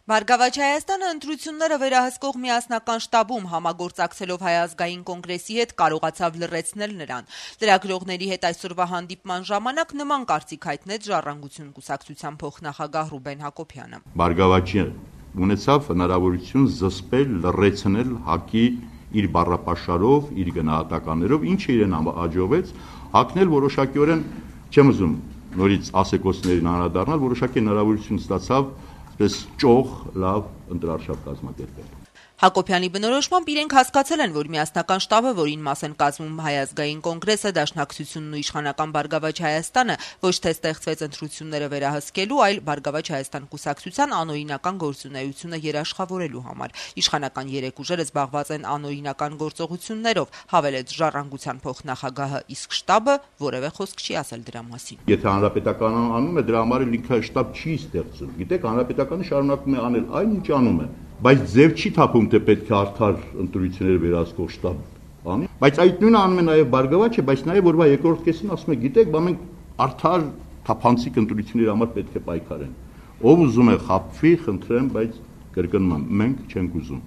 Բարգավաճ Հայաստանը ընտրությունները վերահսկող միասնական շտաբում համագործակցելով Հայ ազգային կոնգրեսի հետ կարողացավ լռեցնել նրան։ Լրագրողների հետ այսօրվա հանդիպման ժամանակ նման կարծիք հայտնեց Ժառանգություն կուսակցության փոխնախագահ Ռուբեն Հակոբյանը։ Բարգավաճը ունեցավ հնարավորություն զսպել, լռեցնել ՀԱԿ-ի իր բառապաշարով, իր գնահատականներով, ինչը իրեն հաջողվեց հակնել որոշակիորեն, չեմ ուզում նորից ասեկոսներին անդրադառնալ, որոշակի հնարավորություն ստացավ պես ճոխ լավ ընտրարշավ կազմակերպել։ Հակոբյանի բնորոշմամբ իրենք հասկացել են, որ միասնական շտաբը, որին մաս են կազմում Հայ ազգային կոնգրեսը, Դաշնակցությունն ու Իշխանական Բարգավաճ Հայաստանը, ոչ թե ստեղծվեց ընտրությունները վերահսկելու, այլ Բարգավաճ Հայաստան կուսակցության անօրինական գործունեությունը երաշխավորելու համար։ Իշխանական երեք ուժերը զբաղված են անօրինական գործողություններով, հավելեց Ժառանգության փոխնախագահը, իսկ շտաբը որևէ խոսք չի ասել դրա մասին։ Եթե Հանրապետականը անում է, դրա համար ինքը շտաբ չի ստեղծում։ Գիտեք, Հանրապետականը շարունակում է անել այն, ինչ անում է, բայց ձև չի թափում, թե պետք է արդար ընտրությունները վերահսկող շտաբ անի, բայց այդ նույնը անում է նաև Բարգավաճը, բայց նաև օրվա երկրորդ կեսին ասում է, գիտեք, բա մենք արդար թափանցիկ ընտրությունների համար պետք է պայքարեն։ Ով ուզում է խաբվի, խնդրեմ, բայց կրկնում եմ, մենք չենք ուզում։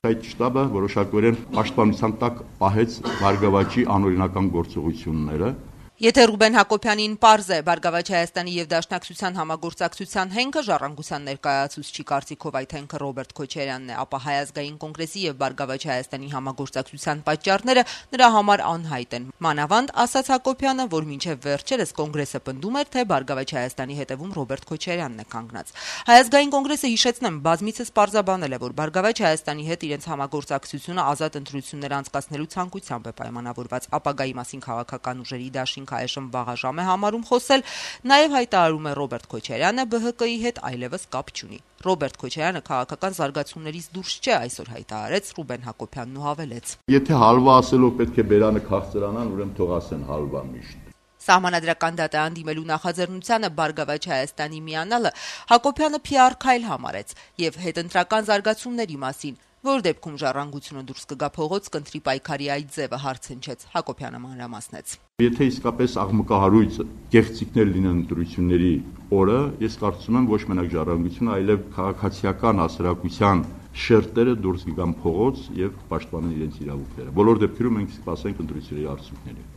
Այդ շտաբը որոշակիորեն պաշտպանության տակ պահեց Բարգավաճի անօրինական գործողությունները։ Եթե Ռուբեն Հակոբյանին պարզ է Բարգավաճ Հայաստանի եւ Դաշնակցության համագործակցության հենքը, Ժառանգության ներկայացուցչի կարծիքով այդ հենքը Ռոբերտ Քոչարյանն է, ապա Հայ ազգային կոնգրեսի եւ Բարգավաճ Հայաստանի համագործակցության պատճառները նրա համար անհայտ են։ Մանավանդ, ասաց Հակոբյանը, որ մինչեւ վերջերս կոնգրեսը պնդում էր, թե Բարգավաճ Հայաստանի հետևում Ռոբերտ Քոչարյանն է կանգնած։ Հայ ազգային կոնգրեսը, հիշեցնեմ, բազմիցս պարզաբանել է, որ Բարգավաճ Հայաստանի հետ իրենց համագործակցությունը ազատ ընտրություններ անցկացնելու ցանկությամբ է պայմանավորված, ապագայի մասին քաղաքական ուժերի դաշինք այժմ վաղաժամ է համարում խոսել, նաև հայտարարում է Ռոբերտ Քոչարյանը ԲՀԿ-ի հետ այլևս կապ չունի։ Ռոբերտ Քոչարյանը քաղաքական զարգացումներից դուրս չէ, այսօր հայտարարեց Ռուբեն Հակոբյանն ու հավելեց. Եթե հալվա ասելով պետք է բերանը քաղցրանան, ուրեմն թող ասեն հալվա միշտ։ Սահմանադրական դատան դիմելու նախաձեռնությանը Բարգավաճ Հայաստանի միանալը Հակոբյանը PR քայլ համարեց եւ հետընտրական զարգացումների մասին, որ դեպքում Ժառանգությունը դուրս կգա փողոց, կընտրի պայքարի այդ ձևը, հարցնչեց Հակոբյանը մանրամասնեց։ Եթե իսկապես աղմկահարույց գեղեցիկներ լինեն ընտրությունների օրը, ես կարծում եմ ոչ մենակ Ժառանգությունը, այլև քաղաքացիական հասարակության շերտերը դուրս կգան փողոց եւ պաշտպանեն իրենց իրավունքները։ Բոլոր դեպքերում մենք սպասենք ընտրությունների արդյունքներին։